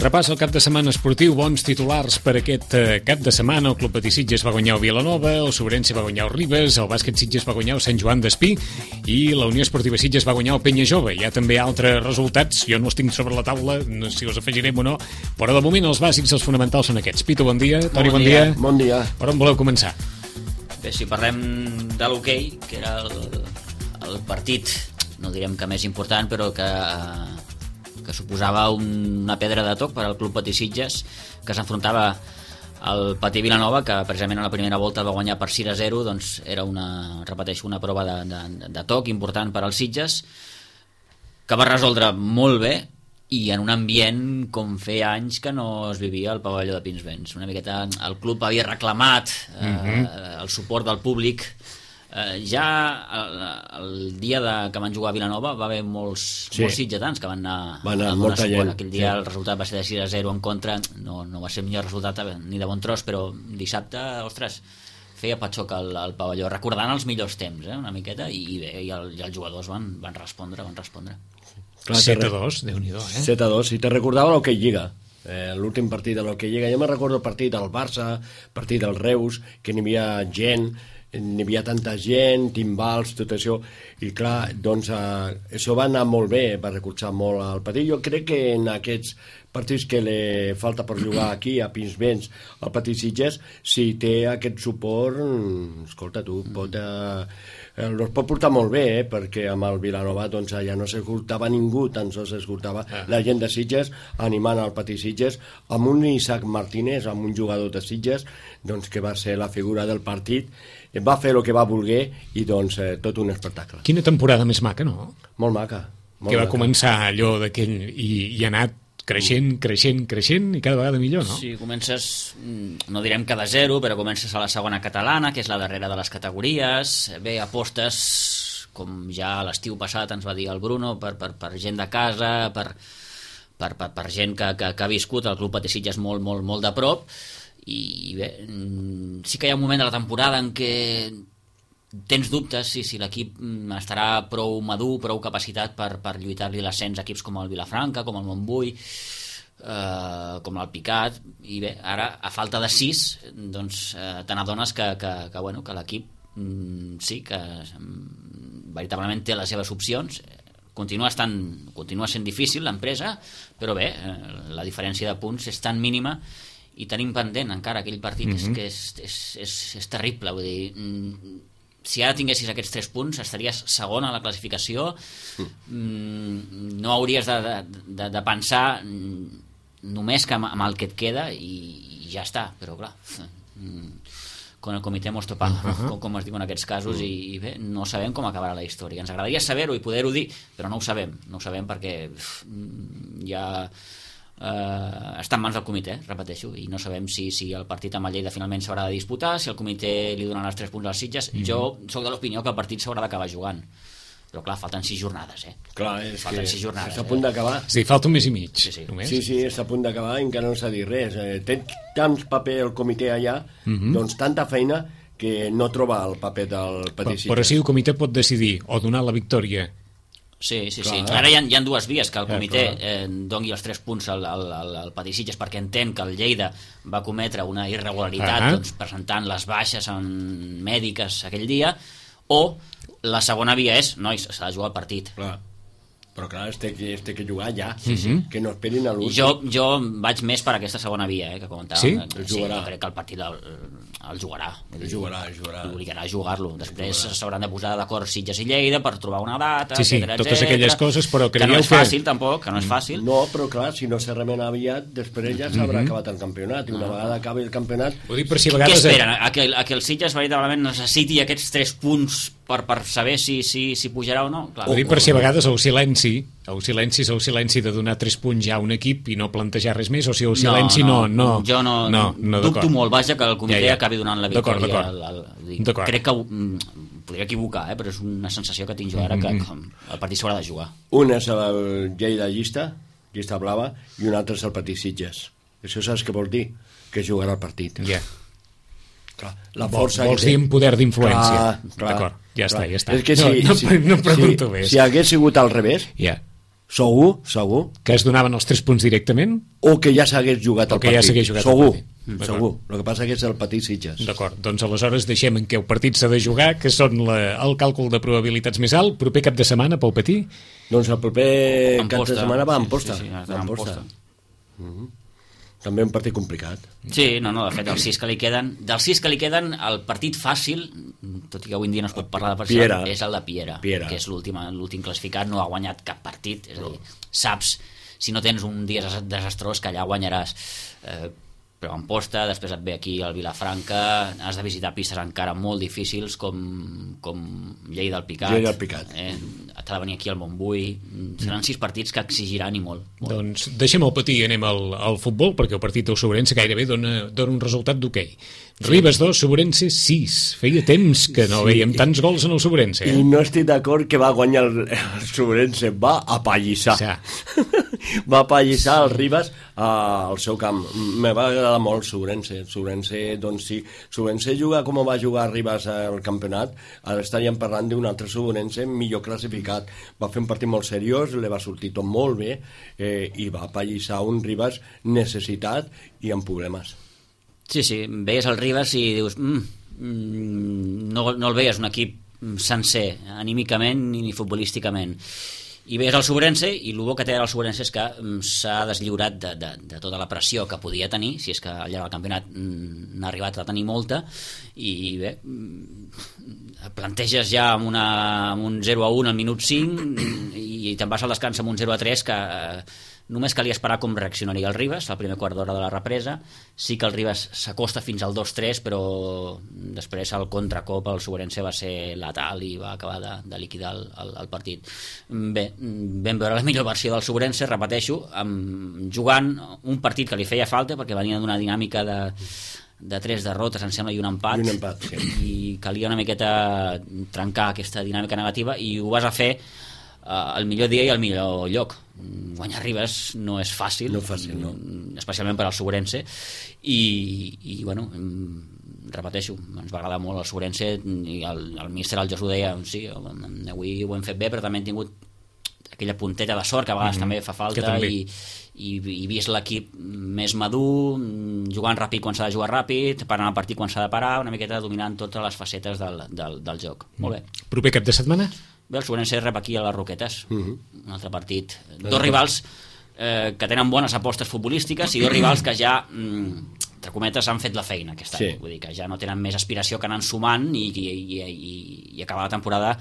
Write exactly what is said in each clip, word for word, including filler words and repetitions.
Repàs el cap de setmana esportiu, bons titulars per aquest eh, cap de setmana. El Club Patí Sitges va guanyar el Vilanova, el Sobrense va guanyar el Ribes, el Bàsquet Sitges va guanyar el Sant Joan d'Espí i la Unió Esportiva Sitges va guanyar el Penya Jove. Hi ha també altres resultats, jo no els tinc sobre la taula, no sé si els afegirem o no, però de moment els bàsics, els fonamentals són aquests. Pito, bon dia. Toni, bon, bon dia. dia. Bon dia. Per on voleu començar? Bé, si parlem de l'hoquei, que era el, el partit, no direm que més important, però que... que suposava una pedra de toc per al Club Patí Sitges, que s'enfrontava al Patí Vilanova, que precisament a la primera volta va guanyar per sis a zero. Doncs era una, repeteixo, una prova de, de, de toc important per als Sitges, que va resoldre molt bé i en un ambient com feia anys que no es vivia al pavelló de Pinsbens. Una miqueta el club havia reclamat eh, mm-hmm. el suport del públic. Uh, ja el, el dia de, que van jugar a Vilanova va haver molts, sí. molts sitgetans que van anar, van anar a molta gent. Aquell dia sí. el resultat va ser de sis a zero en contra, no, no va ser el millor resultat ni de bon tros, però dissabte, ostres, feia patxoc al, al pavelló, recordant els millors temps, eh, una miqueta, i bé, i, el, i els jugadors van, van respondre, van respondre. set a dos, Déu-n'hi-do, eh? set a dos, i te recordava l'Hockey Lliga. Eh, l'últim partit de l'Hockey Lliga, jo me recordo el partit del Barça, partit del Reus, que n'hi havia gent, n'hi havia tanta gent, timbals, tot això, i clar, doncs eh, això va anar molt bé, va recolzar molt al Patí. Jo crec que en aquests partits que li falta per jugar aquí a Pinsbens, al Patí Sitges, si té aquest suport, escolta tu, pot, eh, els pot portar molt bé, eh, perquè amb el Vilanova doncs, ja no s'escoltava ningú, tan sols s'escoltava ah. la gent de Sitges animant al Patí Sitges, amb un Isaac Martínez, amb un jugador de Sitges, doncs, que va ser la figura del partit, va fer el que va voler i doncs eh, tot un espectacle. Quina temporada més maca, no? Molt maca. Molt que va maca. Començar allò d'aquell i, i ha anat creixent, creixent, creixent i cada vegada millor, no? Sí, comences, no direm que de zero, però comences a la segona catalana, que és la darrera de les categories. Bé, apostes, com ja l'estiu passat ens va dir el Bruno, per, per, per gent de casa, per, per, per, per gent que, que, que ha viscut el Club Patí Sitges molt, molt, molt de prop. I bé, sí que hi ha un moment de la temporada en què tens dubtes si, si l'equip estarà prou madur, prou capacitat per, per lluitar-li l'ascens a equips com el Vilafranca, com el Montbui, eh, com l'Alpicat, i bé, ara a falta de sis doncs eh, te n'adones que, que, que, bueno, que l'equip mm, sí que mm, veritablement té les seves opcions. Continua, estant, continua sent difícil l'empresa, però bé, eh, la diferència de punts és tan mínima i tenim pendent encara aquell partit mm-hmm. que, és, que és, és, és, és terrible, vull dir, mm, si ara tinguessis aquests tres punts estaries segon a la classificació, mm, no hauries de, de, de, de pensar només que amb, amb el que et queda i, i ja està, però clar con el comitè mos topant, uh-huh. com, com es diu en aquests casos, uh-huh. i, i bé, no sabem com acabarà la història. Ens agradaria saber-ho i poder-ho dir, però no ho sabem, no ho sabem perquè ja Uh, està en mans del comitè, repeteixo, i no sabem si, si el partit amb el Lleida finalment s'haurà de disputar, si el comitè li donen els tres punts als Sitges. Mm-hmm. Jo soc de l'opinió que el partit s'haurà d'acabar jugant, però clar, falten sis jornades, eh? Clar, és falten que sis jornades, està a punt d'acabar. Sí, falta un mes i mig. Sí, sí, només. sí, sí està a punt d'acabar i encara no s'ha dit res. Eh, té tant paper el comitè allà, mm-hmm. doncs tanta feina que no troba el paper del Patí Sitges. Però sí, el comitè pot decidir o donar la victòria. Sí, sí, clar. sí. Ara hi ha, hi ha dues vies, que el comitè eh, doni els tres punts al, al, al, al Patí Sitges perquè entén que el Lleida va cometre una irregularitat uh-huh. doncs, presentant les baixes en mèdiques aquell dia, o la segona via és, nois, s'ha de jugar el partit. Clar. Però clar, es té, es té que jugar ja, sí, sí. que no esperin a l'últim. Jo, jo vaig més per aquesta segona via, eh, que comentàvem. Sí? Sí, sí, jo crec que el partit el, el jugarà. El jugarà, el jugarà. L'obligarà a jugar-lo. Després s'hauran de posar d'acord Sitges i Lleida per trobar una data, sí, sí, etcètera, totes etcètera, aquelles coses, però que no és fàcil, tampoc, que no és fàcil. No, però clar, si no se remena aviat, després ja s'haurà mm-hmm. acabat el campionat, i una no. vegada acabi el campionat... Ho dic per si a vegades... Què esperen? A que, a que el Sitges veritablement necessiti aquests tres punts per, per saber si, si, si pujarà o no? Clar. Ho dic per si a vegades el silenci, el silenci és el silenci de donar tres punts ja a un equip i no plantejar res més, o si el silenci no... no, no jo no, no, no dubto molt, vaja, que el comitè ja, ja. acabi donant la victòria. D'acord, al, al, d'acord. Crec que mm, podria equivocar, eh, però és una sensació que tinc jo ara, que, que el partit s'haurà de jugar. Un és el Lleida llista, llista blava, i un altre és el Patí Sitges. Això saps què vol dir? Que jugarà el partit. Ja. Yeah. Clar, la força vols dir amb poder d'influència. D'acord, ja clar. està, ja està. És que si, no, no, si, no pregunto si, més. Si hagués sigut al revés, yeah. Segur, segur. Que es donaven els tres punts directament? O que ja s'hagués jugat el que partit. Ja s'hagués jugat segur, el partit. Segur. El que passa que és el petit Sitges. D'acord, doncs aleshores deixem en què el partit s'ha de jugar, que són la, el càlcul de probabilitats més alt. Proper cap de setmana pel Patí? Doncs el proper cap de setmana va a Amposta. Sí, sí, sí, va a Amposta. Mm-hmm. També un partit complicat. Sí, no, no, de fet, els sis que li queden... Dels sis que li queden, el partit fàcil, tot i que avui en dia no es pot parlar de partit, Piera. és el de Piera, Piera. que és l'últim classificat, no ha guanyat cap partit, és a dir, saps, si no tens un dia desastrós, que allà guanyaràs. Eh, però Amposta, després et ve aquí al Vilafranca, has de visitar pistes encara molt difícils com, com Lleida del Picat. Lleida del Picat. Eh, t'ha de venir aquí al Montbui. Seran sis partits que exigiran i molt. molt. Doncs deixem el Patí i anem al, al futbol, perquè el partit del Sobrense gairebé dona, dona un resultat d'hoquei. Sí. Ribes dos, Sobrense sis. Feia temps que no sí. veiem tants gols en el Sobrense. Eh? I no estic d'acord que va guanyar el, el Sobrense, va apallissar. Sí. Va apallissar el Ribes uh, al seu camp. Me va agradar molt el Sobrense. El Sobrense, doncs sí, Sobrense juga com va jugar Ribes al campionat, ara estaríem parlant d'un altre Sobrense millor classificat. Va fer un partit molt seriós, li va sortir tot molt bé eh, i va apallissar un Ribes necessitat i amb problemes. Sí, sí, veies el Ribes i dius mm, mm, no, no el veies un equip sencer, anímicament ni futbolísticament. I veies el Sobrense, i el bo que té el Sobrense és que mm, s'ha deslliurat de, de, de tota la pressió que podia tenir, si és que al llarg del campionat mm, n'ha arribat a tenir molta, i bé, mm, planteges ja amb, una, amb un zero a un al minut cinc i, i te'n vas al descans amb un zero a tres que... Eh, només calia esperar com reaccionaria el Ribes al primer quart d'hora de la represa. Sí que el Ribes s'acosta fins al dos tres, però després el contracop el Sobrense va ser letal i va acabar de, de liquidar el, el, el partit. Bé, vam veure la millor versió del Sobrense, repeteixo, amb, jugant un partit que li feia falta perquè venia d'una dinàmica de, de tres derrotes, em sembla, i un empat, I un empat sí. i calia una miqueta trencar aquesta dinàmica negativa, i ho vas a fer el millor dia i el millor lloc. Guanyar Ribes no és fàcil, no fàcil no. especialment per al Sobrense, i, i bueno, repeteixo, ens va agradar molt el Sobrense, i el, el míster, el Jos, ho deia, sí, avui ho hem fet bé, però també hem tingut aquella punteta de sort que a vegades mm-hmm. també fa falta, i, i, i vist l'equip més madur, jugant ràpid quan s'ha de jugar ràpid, parant el partit quan s'ha de parar, una miqueta dominant totes les facetes del, del, del joc. Mm. Molt bé. Proper cap de setmana? Bé, el Sobrense rep aquí a les Roquetes, uh-huh. un altre partit. Dos rivals eh, que tenen bones apostes futbolístiques i dos rivals que ja, mm, entre cometes, han fet la feina aquest any. Sí. Vull dir que ja no tenen més aspiració que anar sumant i, i, i, i, i acabar la temporada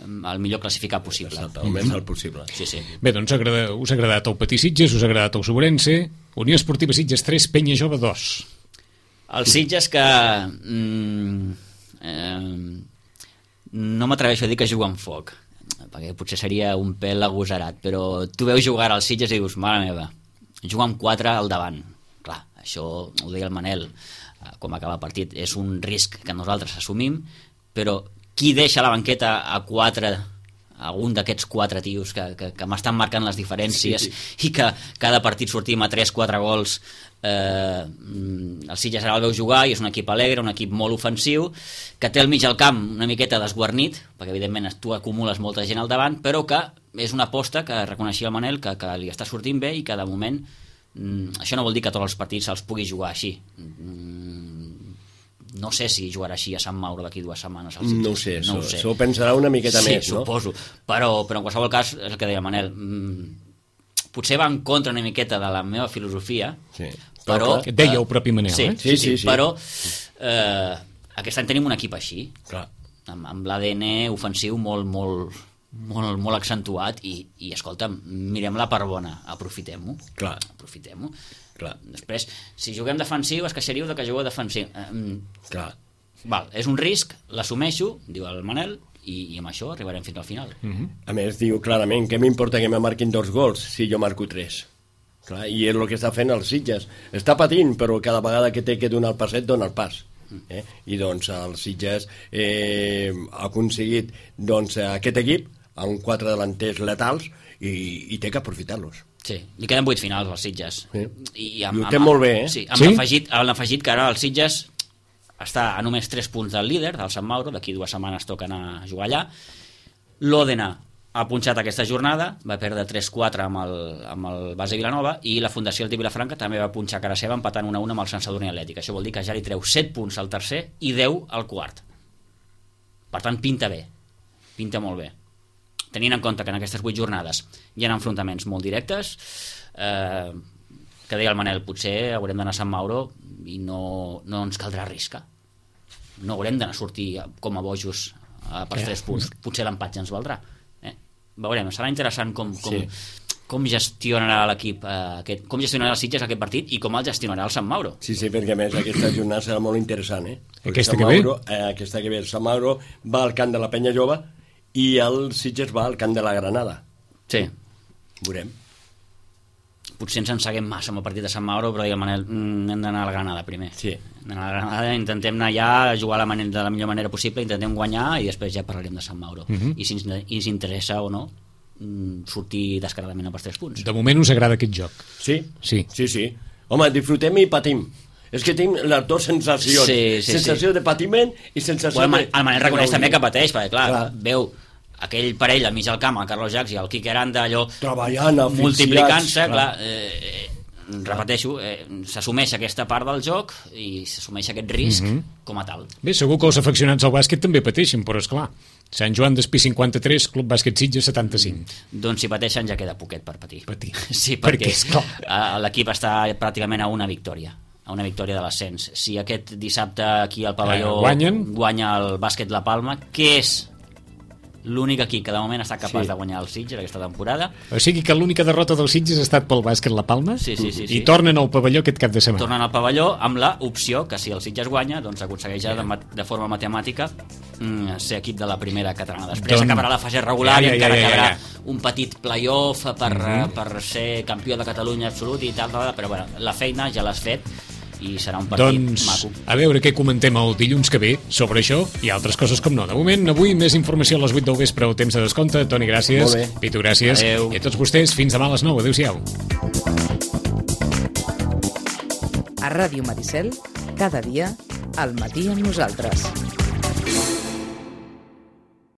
el millor classificat possible. Exacte, el més alt possible. Sí, sí. Bé, doncs agrada, us ha agradat el Patí Sitges, us ha agradat el Sobrense. Unió Esportiva Sitges tres, Penya Jove dos. El Sitges que... Mm, eh, no m'atreveixo a dir que juga amb foc, perquè potser seria un pèl agosarat, però tu veus jugar als Sitges i dius, mare meva, juga amb quatre al davant. Clar, això ho deia el Manel, com acaba el partit, és un risc que nosaltres assumim, però qui deixa la banqueta a quatre, a un d'aquests quatre tios que, que, que m'estan marcant les diferències, sí, sí. i que cada partit sortim a tres quatre gols. Eh, el Sitges ara el veu jugar i és un equip alegre, un equip molt ofensiu, que té al mig del camp una miqueta desguarnit, perquè evidentment tu acumules molta gent al davant, però que és una aposta que reconeixia el Manel que, que li està sortint bé i que de moment mm, això no vol dir que tots els partits se'ls pugui jugar així. mm, no sé si jugarà així a Sant Mauro d'aquí dues setmanes al Sitges. No ho sé, no ho ho sé. S'ho pensarà una miqueta sí, més, no? Sí, suposo, però, però en qualsevol cas és el que deia Manel, mm, potser va en contra una miqueta de la meva filosofia, sí. però... Que deia el propi Manel, sí, eh? Sí, sí, sí, sí. Però eh, aquest any tenim un equip així, clar. amb, amb l'A D N ofensiu molt, molt, molt, molt accentuat, i, i escolta'm, mirem la part bona, aprofitem-ho. Clar. Aprofitem-ho. Clar. Després, si juguem defensiu, es queixaríeu de que jugueu defensiu. Eh, clar. Val, és un risc, l'assumeixo, diu el Manel, i, i amb això arribarem fins al final. Uh-huh. A més, diu clarament, què m'importa que me marquin dos gols si jo marco tres? Clar, i és el que està fent el Sitges. Està patint, però cada vegada que té que donar el passet, dona el pas. Eh? I doncs el Sitges eh, ha aconseguit doncs, aquest equip amb quatre delanters letals i, i té que aprofitar-los. Sí, li queden vuit finals als Sitges. Sí. I, amb, I ho té amb, molt bé, eh? Sí, amb sí? l'afegit afegit que ara el Sitges està a només tres punts del líder, del Sant Mauro, d'aquí dues setmanes toca anar a jugar allà. L'Òdena ha punxat aquesta jornada, va perdre tres quatre amb el, amb el base Vilanova, i la Fundació Altí Vilafranca també va punxar cara seva empatant una a una amb el Sant Sadurní Atlètic. Això vol dir que ja li treu set punts al tercer i deu al quart. Per tant, pinta bé, pinta molt bé. Tenint en compte que en aquestes vuit jornades hi ha enfrontaments molt directes, eh, que deia el Manel, potser haurem d'anar a Sant Mauro i no, no ens caldrà riscar. No haurem d'anar a sortir com a bojos eh, per tres punts. Potser l'empat ja ens valdrà. Veurem, serà interessant com, com, sí. com gestionarà l'equip eh, aquest, com gestionarà el Sitges aquest partit i com el gestionarà el Sant Mauro. Sí, sí, perquè a més aquesta jornada serà molt interessant, eh? Aquesta que, Mauro, ve? Eh, aquesta que ve? Sant Mauro va al camp de la Penya Jove i el Sitges va al camp de la Granada. Sí. Veurem. Potser ens enseguem massa amb el partit de Sant Mauro, però diguem, Manel, mm, hem d'anar a la Granada primer. Sí. Hem d'anar a la Granada, intentem anar allà a jugar la manera, de la millor manera possible, intentem guanyar i després ja parlarem de Sant Mauro. Uh -huh. I si ens, i si interessa o no sortir descaradament a per tres punts. De moment us agrada aquest joc? Sí, sí, sí, sí. Home, disfrutem i patim. És que tenim les dues sensacions. Sí, sí, sensació sí. de patiment i sensació bueno, de... El Manel reconeix també que pateix, perquè clar, clar. veu aquell parell al mig del camp, el Carlos Jacs i el Quique Aranda, allò treballant, multiplicant-se, clar, eh, repeteixo, eh, s'assumeix aquesta part del joc i s'assumeix aquest risc mm -hmm. com a tal. Bé, segur que els aficionats al bàsquet també pateixen, però esclar, Sant Joan d'Espí cinquanta-tres, Club Bàsquet Sitges setanta-cinc. Mm. Doncs si pateixen ja queda poquet per patir. Patir. Sí, perquè, perquè l'equip està pràcticament a una victòria, a una victòria de l'ascens. Si aquest dissabte aquí al pavelló eh, guanyen, guanya el bàsquet La Palma, que és l'únic equip que de moment ha estat capaç sí. de guanyar el Sitges aquesta temporada. O sigui que l'única derrota del Sitges ha estat pel bàsquet La Palma, sí, sí, sí, i sí. tornen al pavelló aquest cap de setmana. Tornen al pavelló amb la opció que si el Sitges guanya, doncs aconsegueix ja de, de forma matemàtica mm, ser equip de la primera catalana. Després Don... acabarà la fase regular ja, ja, i encara ja, ja, ja. quedarà un petit playoff per, uh -huh. per ser campió de Catalunya absolut i tal, però bueno, la feina ja l'has fet i serà un partit doncs, maco. A veure què comentem el dilluns que ve sobre això i altres coses com no. De moment, avui més informació a les vuit del vespre al temps de descompte. Toni, gràcies. Pitu, gràcies. Adeu. I a tots vostès, fins demà a les nou. Adéu-siau. A Ràdio Maricel, cada dia, al matí amb nosaltres.